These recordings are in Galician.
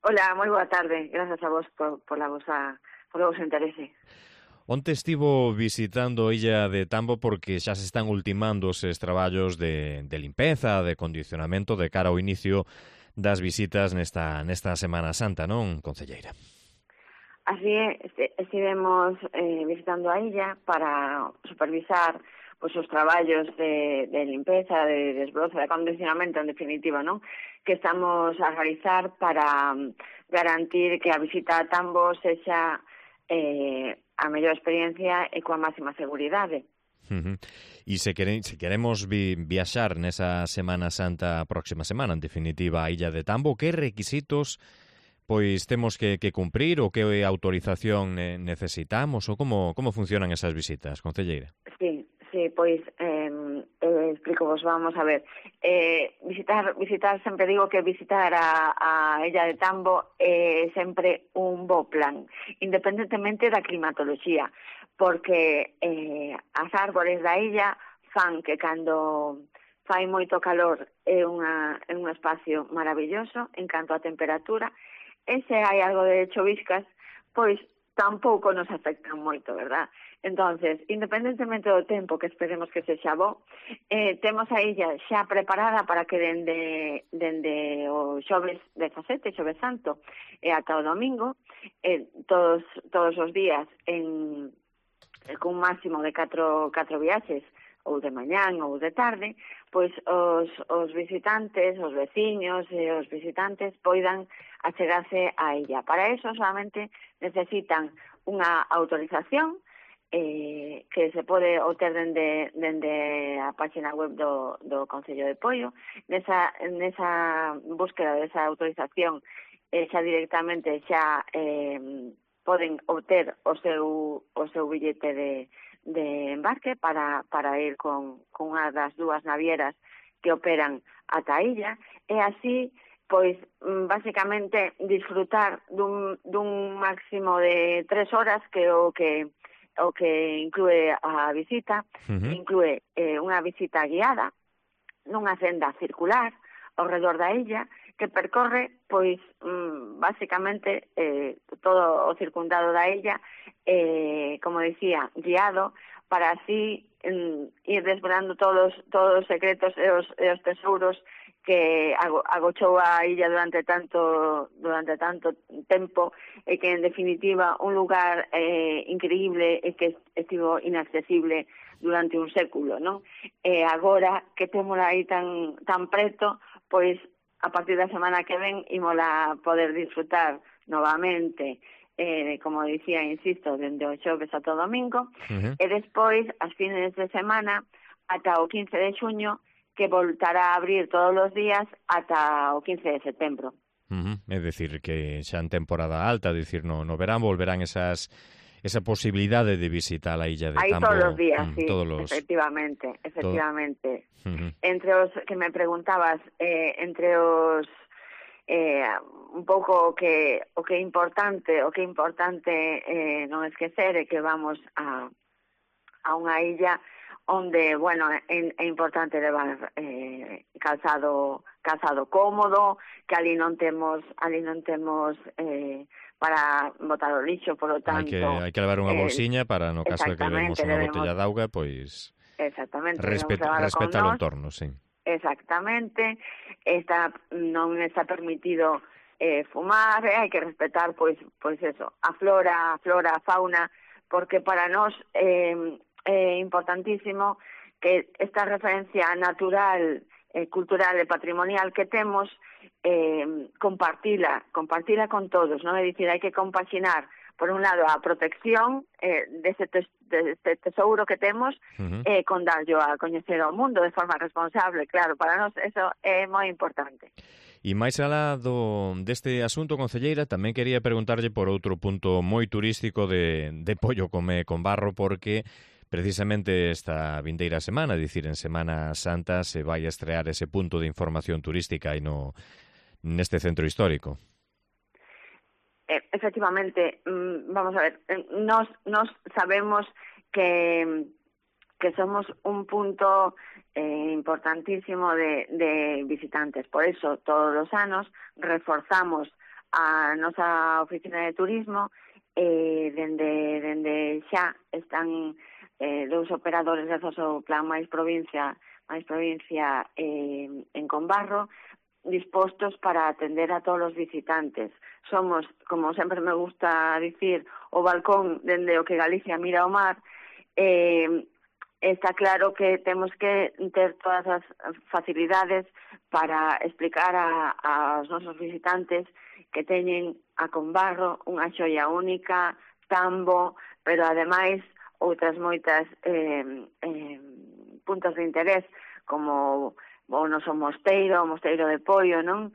Ola, moi boa tarde. Grazas a vos polo vosso interese. Onte estivo visitando a illa de Tambo porque xa se están ultimando os traballos de limpeza, de condicionamento de cara ao inicio das visitas nesta Semana Santa, non, concelleira? Así é, estivemos visitando a illa para supervisar os traballos de limpeza, de desbroce, de acondicionamento, en definitiva, non? Que estamos a realizar para garantir que a visita a Tambo sexa a mellor experiencia e coa máxima seguridade. E se queremos viaxar nesa Semana Santa próxima semana, en definitiva, a illa de Tambo, que requisitos pois temos que cumprir ou que autorización necesitamos ou como funcionan esas visitas, concelleira? Sí, pois explico vos, vamos a ver. Visitar, sempre digo que visitar a illa de Tambo é sempre un bo plan, independentemente da climatoloxía, porque as árbores da illa fan que cando fai moito calor é un espacio maravilloso en canto a temperatura, e se hai algo de choviscas, pois tampouco nos afectan moito, verdad? Entonces, independentemente do tempo que esperemos que sexa bo, temos a illa xa preparada para que dende o xoves 17, xoves santo, e ata o domingo, todos os días cun máximo de 4 viaxes, ou de mañán ou de tarde, pois os visitantes, os veciños e os visitantes poidan achegarse á illa. Para eso solamente necesitan unha autorización que se pode obter dende a página web do Concello de Poio. Nesa búsqueda desa autorización xa directamente xa poden obter o seu billete de embarque para ir con unha das dúas navieras que operan ata a illa, e así, pois, basicamente, disfrutar dun máximo de 3 horas que o que inclúe a visita. Inclúe unha visita guiada nunha senda circular ao redor da illa que percorre, pois, basicamente, todo o circundado da illa, como dicía, guiado, para así ir desvelando todos os secretos e os tesouros que agochou a illa durante tanto tempo, e que, en definitiva, un lugar increíble e que estivo inaccesible durante un século, non? E agora que témola aí tan preto, pois, a partir da semana que ven, ímola poder disfrutar novamente, como dicía, insisto, dende o xoves ata o domingo, e despois, as fines de semana, ata o 15 de xuño, que voltará a abrir todos os días ata o 15 de setembro. É dicir, que xa en temporada alta, dicir, no verán volverán esa posibilidade de visitar a illa de Tambo. Aí todos os días, sí, efectivamente. Entre os que me preguntabas, entre os un pouco o que é importante non esquecer é que vamos a unha illa onde, bueno, é importante levar calzado cómodo, que ali non temos para botar o lixo, por lo tanto... Hai que levar unha bolsiña para, no caso de que levemos unha botella de auga, pois... Exactamente. Respetar o entorno, sí. Exactamente. Non está permitido fumar, hai que respetar, pois eso, a flora, a fauna, porque para nós é importantísimo que esta referencia natural, cultural e patrimonial que temos, compartila con todos, non? É dicir, hai que compaxinar, por un lado, a protección deste tesouro que temos, con darlo a coñecer ao mundo de forma responsable. Claro, para nós eso é moi importante. E máis alá deste asunto, concelleira, tamén quería preguntarlle por outro punto moi turístico de Poio con Barro, porque precisamente esta vindeira semana, dicir, en Semana Santa, se vai a estrear ese punto de información turística aí neste centro histórico. Efectivamente, vamos a ver, nos sabemos que somos un punto importantísimo de visitantes. Por eso, todos os anos reforzamos a nosa oficina de turismo, dende xa están dous operadores grazas ao plan máis provincia en Combarro, dispostos para atender a todos os visitantes. Somos, como sempre me gusta dicir, o balcón dende o que Galicia mira ao mar. Está claro que temos que ter todas as facilidades para explicar aos nosos visitantes que teñen a Combarro unha xoia única, Tambo, pero ademais outras moitas puntos de interés, como o noso mosteiro, o mosteiro de Poio, non?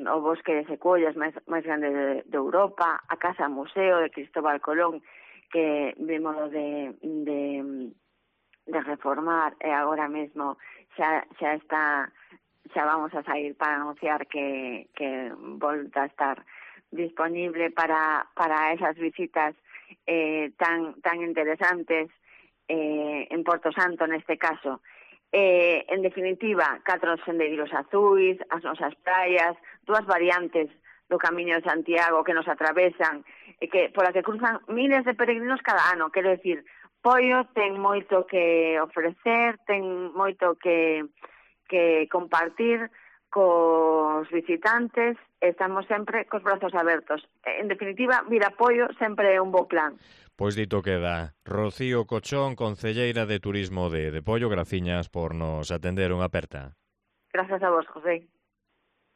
O bosque de secuoias máis grande de Europa, a Casa Museo de Cristóbal Colón, que vimos de reformar, e agora mesmo xa vamos a sair para anunciar que volta a estar disponible para esas visitas tan interesantes en Porto Santo neste caso. En definitiva, 4 sendeiros azuis, as nosas praias, 2 variantes do Camiño de Santiago que nos atravesan, pola que cruzan miles de peregrinos cada ano. Quero decir, Poio ten moito que ofrecer, ten moito que compartir cos visitantes, estamos sempre cos brazos abertos. En definitiva, vir a Poio sempre é un bo plan. Pois dito queda. Rocío Cochón, concelleira de Turismo de Poio, graciñas por nos atender unha aperta. Grazas a vos, José.